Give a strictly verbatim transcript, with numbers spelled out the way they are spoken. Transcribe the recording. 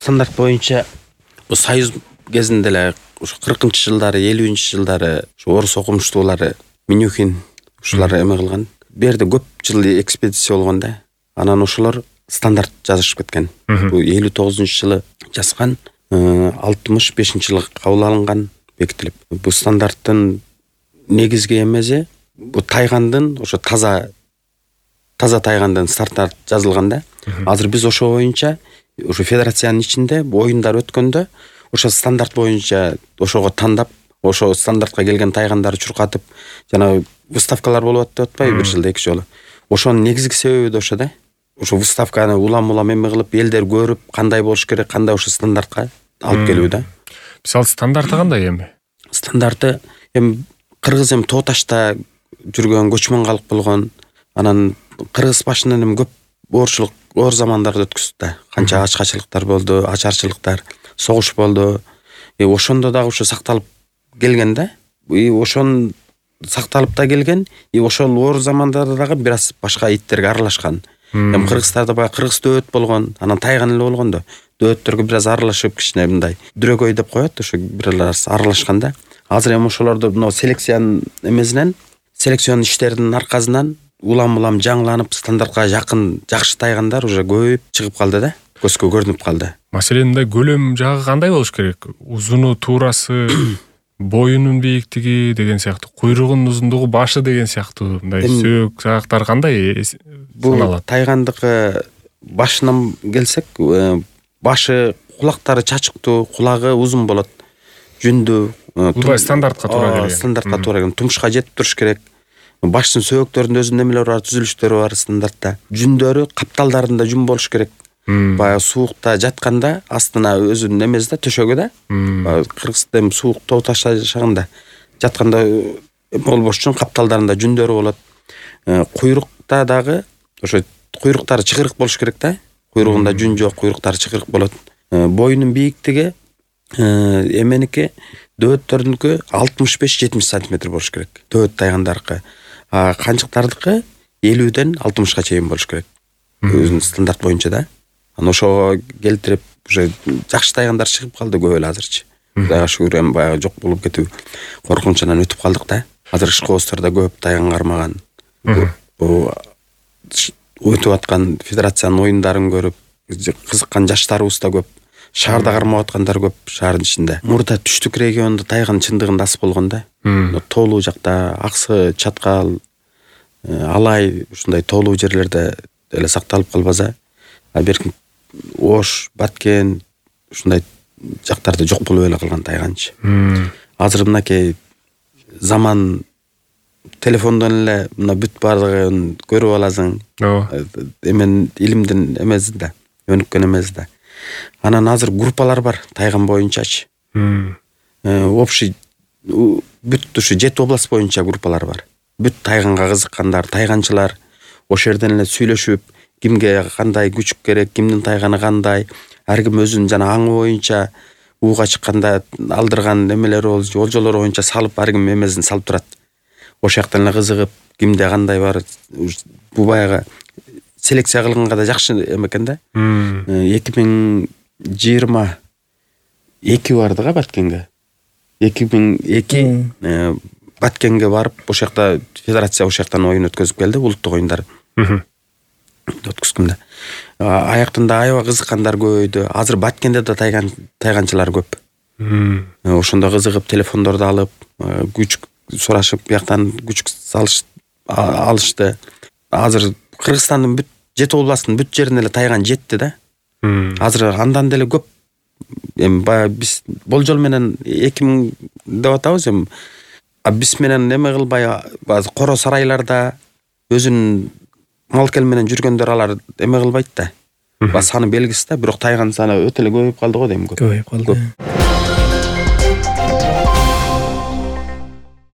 стандарт боюнча союз кезинде эле ушу кыркынчы жылдары, элүүнчү жылдары ушу орус окумуштуулары Минюхин ушулар эме кылган. Берде көп жыл экспедиция болгон да. Анан ошолор стандарт жазышып кеткен. Бул элүү тогузунчу жылы жазган, алтымыш бешинчи жылы кабыл алынган, бекитилип. Бул стандарттын негизги эмеси бу тайгандын, ошо таза таза тайгандын стандарт жазылган да. Азыр биз ошо боюнча ошо федерациянын ичинде оюндар өткөндө ошо стандарт боюнча ошого тандап, ошо стандартка келген тайгандарды чуркатып, жана выставкалар болуп атты атпайбы бир жылда эки жолу. Ошонун негизги себеби да ошо да. Ошо выставканы улам-улам эме кылып, элдер көрүп, кандай болуш керек, кандай ошо стандартка алып келүү да. Мисалы стандарты кандай эми? Стандарты эми кыргыз эми тоо ташта жүргөн, көчмөн калк болгон, анан кыргыз башынан эми көп оорчулук, оор замандарда өткөздү да. Канча ачкачылыктар болду, ачарчылыктар, согуш болду. Э ошондо дагы ошо сакталып келген да. И ошон сакталып да келген. И ошол оор замандарда дагы бир аз башка иттерге аралашкан. Эми кыргыздарда баягы кыргыз дөөт болгон, анан тайган эле болгон да. Дөөттөргө бир аз аралашып, кичине мындай дрөгөй деп коет, ошо бир аз аралашкан да. Азыр эми ошолорду мына селекциянын эмесинен, селекцион иштеринин аркасынан улам-улам жаңыланып, стандартка жакын жакшы тайгандар уже көбөйүп чыгып калды да. Көзгө көрүнүп калды. Маселен, мындай көлөм жагы кандай болуш керек? Узуну, туурасы, боюнун бийиктиги деген сыяктуу, куйругунун узундугу, башы деген сыяктуу, мындай сөөк жагактар кандай саналат? Тайгандыкы башынан келсек, башы, кулактары чачыктуу, кулагы узун болот. Жүндүү, бул стандартка туура келген. Стандартка туура келген. Тумушка жетип туруш керек. Баштын сөөктөрүндө өзүнүн эмелери бар, түзүлүштөрү бар стандартта. Жүндөрү капталдарында жүн болуш керек. Баягы суукта жатканда астына өзүнүн эмеси да, төшөгү да. Кыргызда эми суук тоо ташта жашаганда жатканда эме болбош үчүн капталдарында жүндөрү болот. Куйрукта дагы ошо куйруктары чыгырык болуш керек да. Куйругунда жүн жок, куйруктары чыгырык болот. Боюнун бийиктиги эменики дөөттөрдүнкү алтымыш беш жетимиш сантиметр болуш керек. Дөөт тайгандарыкы. А канчыктардыкы элүүдөн алтымышка чейин болуш керек. Өзүнүн стандарт боюнча да. Анан ошого келтирип, уже жакшы тайгандар чыгып калды көп эле азырчы. Кудайга шүгүр, эми баягы жок болуп кетүү коркунучунан өтүп калдык да. Азыр ишкоозтордо көп тайган кармаган. Бул өтүп аткан федерациянын оюндарын көрүп кызыккан жаштарыбыз да көп. Шаарда кармап аткандар көп шаардын ичинде. Мурда түштүк региондо тайган чындыгында аз болгон да. Тоолуу жакта Аксы, Чаткал, Алай ушундай тоолуу жерлерде эле сакталып калбаса, а беркин Ош, Баткен ушундай жактарда жок болуп эле калган тайганчы. Азыр мынакей заман телефондон эле мына бүт баардыгын көрүп аласың. Эмен илимдин эмеси да, өнүккөн эмеси да. Анан азыр группалар бар тайган боюнчачы. Общий бүт ушу жети область боюнча группалар бар. Бүт тайганга кызыккандар, тайганчылар ошол жерден эле сүйлөшүп, кимге кандай күчүк керек, кимдин тайганы кандай, ар ким өзүнүн жана аңы боюнча ууга чыкканда алдырган эмелери болуп, болжолору боюнча салып, ар ким эмесин салып турат. Ошол жактан эле кызыгып, кимде кандай бар, бу баягы селекция кылганга да жакшы экен да. эки миң жыйырма эки барды го Баткенге. эки миң эки Баткенге барып, ошол жакта федерация ошол жактан оюн өткөзүп келди, улуттук оюндар. Өткөзгөндө. Аяктан да аябай кызыккандар көбөйдү. Азыр Баткенде да тайган тайганчылар көп. Ошондо кызыгып, телефондорду алып, күчүк сурашып, бияктан күчүк салыш алышты. Азыр Кыргызстандын бүт жети областтын бүт жерине эле тайган жетти да. Азыр андан деле көп. Эми баягы биз болжол менен эки миң деп атабыз эми. А биз менен эме кылбай, базы коро сарайларда өзүнүн мал-кел менен жүргөндөр алар эме кылбайт да. Ба саны белгисиз да, бирок тайган саны өтө эле көбөйүп калды го дейм. Көбөйүп калды.